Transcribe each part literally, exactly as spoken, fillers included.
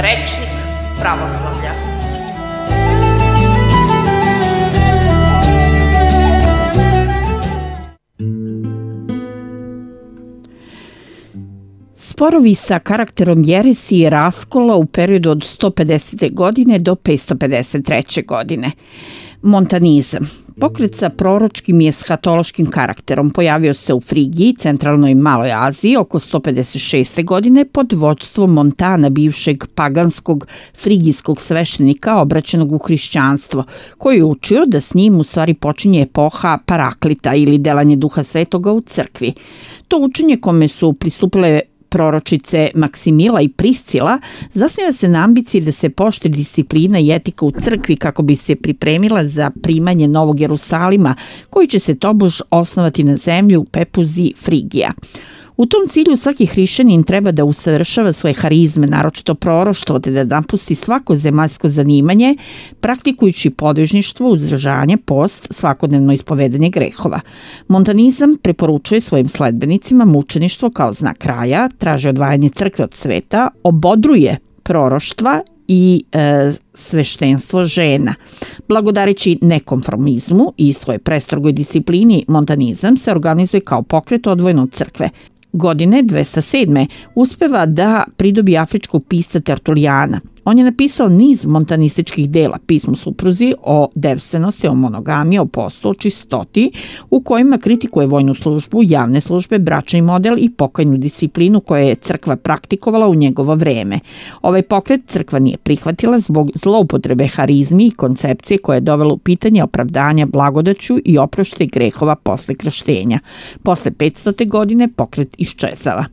Rečnik pravoslavlja. Sporovi sa karakterom jeresi i raskola u periodu od sto pedesete. godine do petsto pedeset treće. godine. Montanizam. Pokret sa proročkim i eshatološkim karakterom pojavio se u Frigiji, centralnoj i Maloj Aziji oko sto pedeset šeste. godine pod vođstvom Montana, bivšeg paganskog frigijskog sveštenika obraćenog u hrišćanstvo, koji je učio da s njim u stvari počinje epoha Paraklita ili delanje Duha Svetoga u crkvi. To učenje kome su pristupile proročice Maksimila i Priscila zasniva se na ambiciji da se poštuje disciplina i etika u crkvi kako bi se pripremila za primanje Novog Jerusalima, koji će se tobož osnovati na zemlji u Pepuzi Frigija. U tom cilju svaki hrišćanin treba da usavršava svoje harizme, naročito proroštvo, te da napusti svako zemaljsko zanimanje, praktikujući podvižništvo, uzdržanje, post, svakodnevno ispovedanje grehova. Montanizam preporučuje svojim sledbenicima mučeništvo kao znak kraja, traži odvajanje crkve od sveta, obodruje proroštva i e, sveštenstvo žena. Blagodarići nekonformizmu i svoje prestrogoj disciplini, montanizam se organizuje kao pokret odvojeno od crkve. Godine dvesta sedme. uspeva da pridobi afričkog pisca Tertulijana. On je napisao niz montanističkih dela, pismo supruzi, o devstvenosti, o monogamiji, o postu, o čistoti, u kojima kritikuje vojnu službu, javne službe, bračni model i pokajnu disciplinu koje je crkva praktikovala u njegovo vreme. Ovaj pokret crkva nije prihvatila zbog zloupotrebe harizmi i koncepcije koje je dovelo u pitanje opravdanja blagodaću i oprošte grehova posle krštenja. Posle petstote. godine pokret iščezava.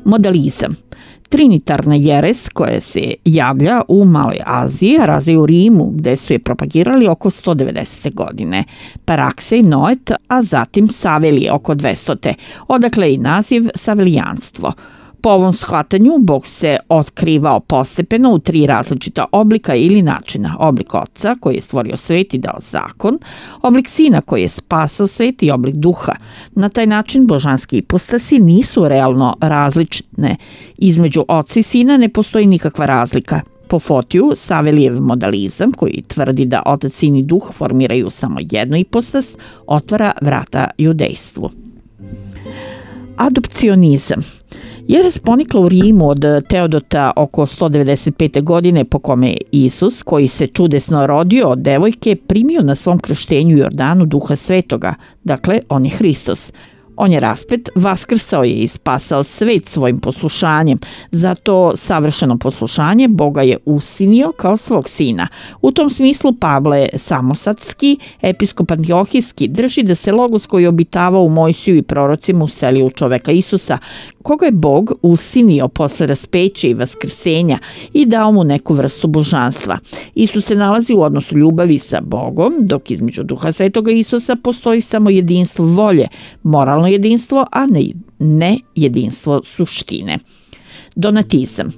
Modalizam. Trinitarna jeres koja se javlja u Maloj Aziji, a razvija u Rimu, gde su je propagirali oko sto devedesete. godine. Paraksej, Noet, a zatim Savelije oko dvestote. Odakle i naziv savelijanstvo. Po ovom shvatanju, Bog se otkrivao postepeno u tri različita oblika ili načina. Oblik Oca koji je stvorio svet i dao zakon, oblik Sina koji je spasao svet i oblik Duha. Na taj način božanski ipostasi nisu realno različne. Između Oca i Sina ne postoji nikakva razlika. Po Fotiju, Savelijev modalizam, koji tvrdi da Otac, Sin i Duh formiraju samo jednu ipostas, otvara vrata judejstvu. Adopcionizam. Jeres ponikla u Rimu od Teodota oko sto devedeset pete. godine, po kome je Isus, koji se čudesno rodio od devojke, primio na svom krštenju Jordanu Duha Svetoga, dakle on je Hristos. On je raspet, vaskrsao je i spasao svet svojim poslušanjem. Zato savršeno poslušanje Boga je usinio kao svog sina. U tom smislu Pavle Samosadski, episkop Antiohijski, drži da se logos koji je obitavao u Mojsiju i prorocima uselio u čoveka Isusa, koga je Bog usinio posle raspeća i vaskrsenja i dao mu neku vrstu božanstva. Isus se nalazi u odnosu ljubavi sa Bogom, dok između Duha Svetoga Isusa postoji samo jedinstvo volje, moralno jedinstvo, a ne, ne jedinstvo suštine. Donatizam.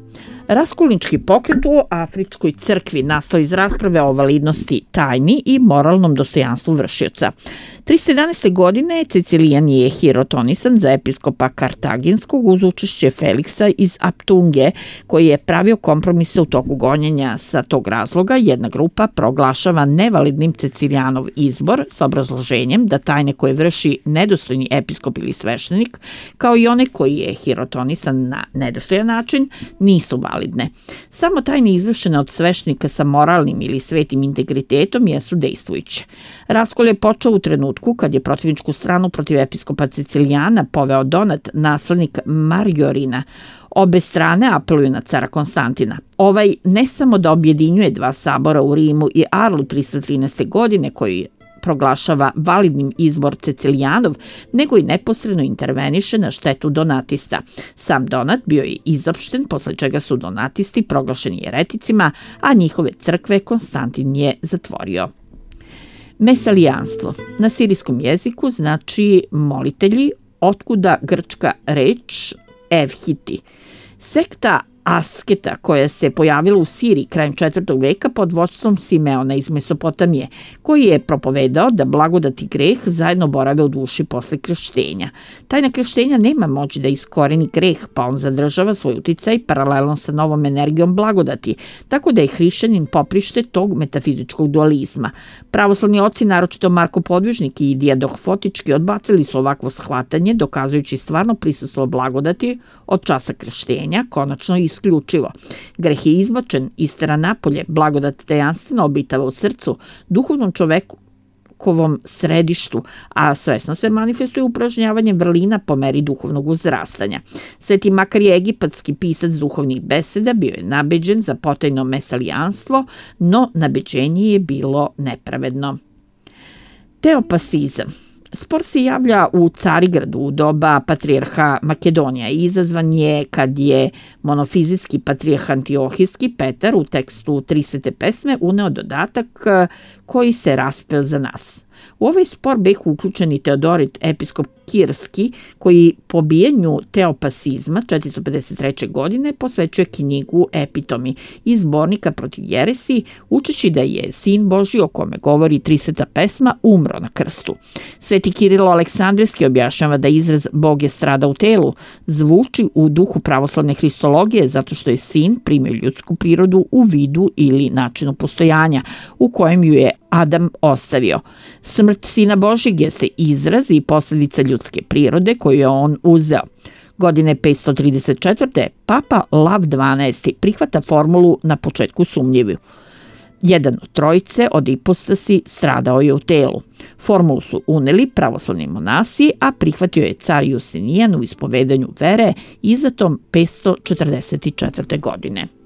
Raskolnički pokret u Afričkoj crkvi nastao iz rasprave o validnosti tajni i moralnom dostojanstvu vršioca. trista jedanaeste. godine Cecilijan je hirotonisan za episkopa Kartaginskog uz učešće Feliksa iz Aptunge, koji je pravio kompromise u toku gonjenja. Sa tog razloga jedna grupa proglašava nevalidnim Cecilijanov izbor s obrazloženjem da tajne koje vrši nedostojni episkop ili sveštenik, kao i one koji je hirotonisan na nedostojan način, nisu validne. Samo tajne izvršene od sveštenika sa moralnim ili svetim integritetom jesu dejstvujuće. Raskol je počeo u trenutku kad je protivničku stranu protiv episkopa Cecilijana poveo Donat, naslednik Marjorina. Obe strane apeluju na cara Konstantina. Ovaj ne samo da objedinjuje dva sabora u Rimu i Arlu trista trinaeste. godine, koji proglašava validnim izbor Cecilijanov, nego i neposredno interveniše na štetu donatista. Sam Donat bio je izopšten, posle čega su donatisti proglašeni jereticima, a njihove crkve Konstantin je zatvorio. Mesalijanstvo. Na sirijskom jeziku znači molitelji, otkuda grčka reč evhiti. Sekta asketa koja se pojavila u Siriji krajem četvrtog veka pod vodstvom Simeona iz Mesopotamije, koji je propovedao da blagodat i greh zajedno borave u duši posle krštenja. Tajna krštenja nema moći da iskoreni greh, pa on zadržava svoj uticaj paralelno sa novom energijom blagodati, tako da je hrišćanin poprište tog metafizičkog dualizma. Pravoslavni oci, naročito Marko Podvižnik i Dijadoh Fotički, odbacili su ovakvo shvatanje, dokazujući stvarno prisustvo blagodati od časa krštenja, konačno i isključivo. Greh je izbačen, istera napolje, blagodat tajanstveno obitava u srcu, duhovnom čoveku, kovom središtu, a svesno se manifestuje upražnjavanjem vrlina po meri duhovnog uzrastanja. Sveti Makar je egipatski pisac duhovnih beseda, bio je nabeđen za potajno mesalijanstvo, no nabeđenje je bilo nepravedno. Teopasizam. Spor se javlja u Carigradu u doba patrijarha Makedonija i izazvan je kad je monofizitski patrijarh Antiohijski Petar u tekstu trisete pesme uneo dodatak koji se raspeo za nas. U ovaj spor bih uključen i Teodorit, episkop Kirski, koji po bijenju teopasizma četiristo pedeset treće. godine posvećuje knjigu Epitomi iz zbornika protiv jeresi, učeći da je sin Božji, o kome govori triseta pesma, umro na krstu. Sveti Kirilo Aleksandrijski objašnjava da izraz Bog je strada u telu zvuči u duhu pravoslavne hristologije zato što je sin primio ljudsku prirodu u vidu ili načinu postojanja u kojem ju je Adam ostavio. Smrt Sina Božjeg jeste izraz i posljedica ljudske prirode koju je on uzeo. Godine petsto trideset četvrte. Papa Lav dvanaesti. prihvata formulu na početku sumnjivu. Jedan od trojice od ipostasi stradao je u telu. Formulu su uneli pravoslavni monasi, a prihvatio je car Justinijan u ispovedanju vere izatom petsto četrdeset četvrte. godine.